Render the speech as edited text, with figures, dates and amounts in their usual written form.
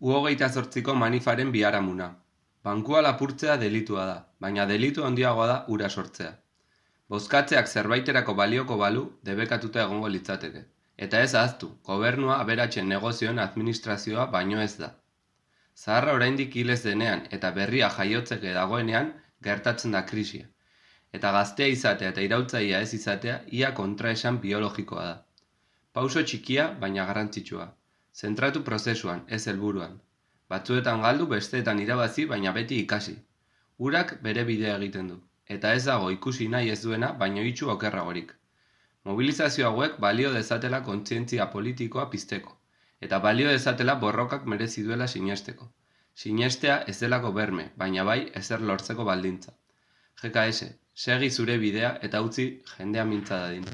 U28ko manifaren biharamuna. Bankua lapurtzea delitua da, baina delitu handiagoa da hura sortzea. Bozkatzeak zerbaiterako balioko balu debekatuta egongo litzateke. Eta ez ahaztu, gobernua aberatsen negozioen administrazioa baino ez da. Zaharra oraindik hil ez denean eta berria jaiotzeke dagoenean gertatzen da krisia. Eta gaztea izatea eta iraultzailea ez izatea ia kontraesan biologikoa da. Pauso txikia baina garrantzitsua. Zentratu prozesuan, ez helburuan. Batzuetan galdu, besteetan irabazi, baina beti ikasi. Urak bere bidea egiten du. Eta ez dago ikusi nahi ez duena, baino itxu okerragorik. Mobilizazio hauek balio dezatela kontzientzia politikoa pizteko. Eta balio dezatela borrokak merezi duela sinesteko. Sinestea ez delako berme, baina bai ezer lortzeko baldintza. GKS, segi zure bidea eta utzi jendea mintza dadin.